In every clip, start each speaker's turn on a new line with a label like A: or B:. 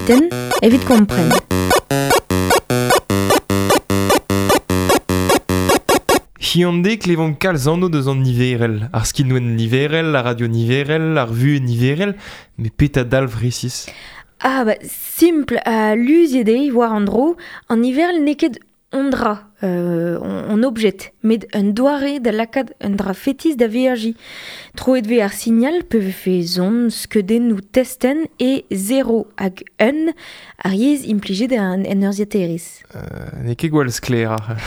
A: Kabiten evit kompren.
B: Hiziv klevomp kalz anv deus an niverel, ar skinwel niverel, ar radio niverel, ar vuhez niverel, met petra dalv resis?
A: Ah ba, simpl ha luziet eo war an dro, an niverel n'eo ket un dra, un objet, met un doare da lakaat un dra fetis da veajiñ. Troet vez ar signal pe vefe son, skeudennoù testenn e 0 hag 1, ar yezh implijet en, en urzhiataerezh.
B: N'eo ket gwall sklaer ar.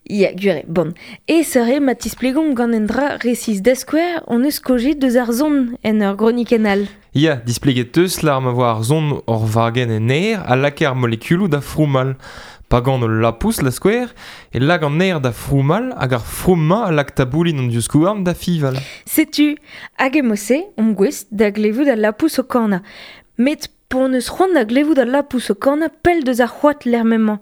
A: Ya, gwir eo. Bon. E seure ma tisplegomp gant un dra resis. Da skouer, hon eus kaozeet deus ar son en ur gronikenn all.
B: Ya, displeget teus lar ma vo ar son hor wagenn en aer a lakae ar molekuloù da froumal. Pa gan ul lapous, da skouer, e lak an aer da froumal hag ar froum-mañ a lak taboulin an divskouarn da fiñval.
A: Setu, hag e-mod-se omp gouest da glevout al lapous o kanañ. Met p'hon eus c'hoant da glevout al lapous o kanañ pell deus ar c'hoad lec'h m'emañ.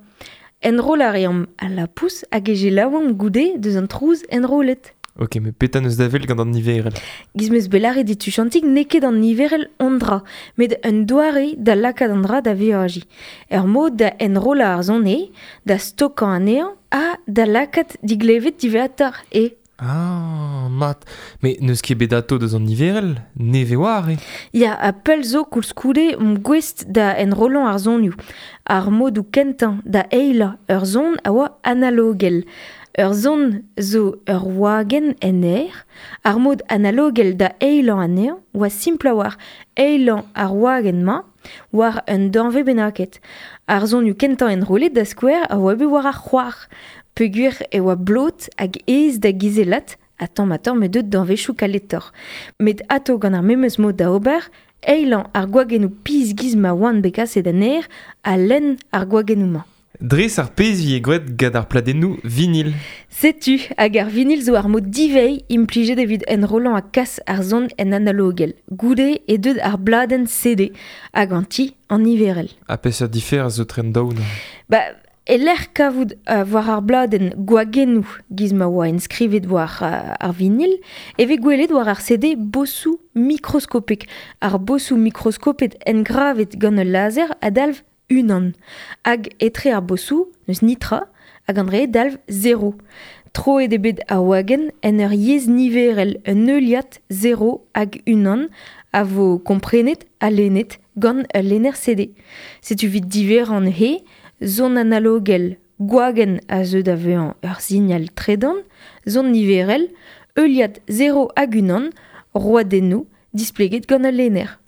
A: Enrollañ a reomp al lapous hag e selaouomp goude deus an trouz enrollet.
B: Ok, met petra n'eus da wel gant an niverel?
A: Giz 'm eus bet lâret dit tuchantig n'eo ket an niverel hon dra, met un doare da lakaat an dra da veajiñ. Ur mod da enrollañ ar son eo, da stokañ anezhañ ha da lakaat diglevet diwezhatoc'h eo.
B: Ah, mat. Met n'eus ket bet atao deus an niverel, nevez oar eo.
A: Ya, ha pell zo koulskoude omp gouest da enrollañ ar sonioù. Ar modoù kentañ da eilañ ur son a oa analogel. Ur son zo ur wagenn en aer. Ar mod analogel da eilañ anezhañ oa simpl a-walc'h eilañ ar wagenn-mañ war un danvez bennaket. Ar sonioù kentañ enrollet da skouer a oa bet war ar c'hoar peogwir e oa blot hag aes da gizellat ha tamm-ha-tamm eo deuet danvezioù kaletoc'h. Met atao gant ar memes mod da ober, eilañ ar gwagennoù pizh giz ma oant bet kaset en aer ha lenn ar gwagennoù-mañ.
B: Dres ar pezh 'vije graet gant ar pladennoù vinil.
A: Setu, hag ar vinil zo ar mod diveiñ implijet evit enrollañ ha kas ar son en analogel. Goude eo deuet ar bladenn CD hag an ti an niverel.
B: Ha peseurt diferañs zo tre an daou neuze?
A: Ba, e-lec'h kavout war ar bladenn gwagennoù giz ma oa enskrivet war ar vinil, e vez gwelet war ar CD bosoù mikroskopek. Ar bosoù mikroskopet engravet gant ul laser a dalv unan. Hag etre ar bosoù n'eus netra hag an dre dalv zero. Troet eo bet ar wagenn en ur yezh niverel, un heuliad zero hag unan a vo komprenet ha lennet gant ul lenner CD. Setu evit diverrañ neuze, son analogel gwagenn a zeu da vezañ ur signal tredan, son niverel, heuliad zero hag unan, roadennoù displeget gant ul lenner.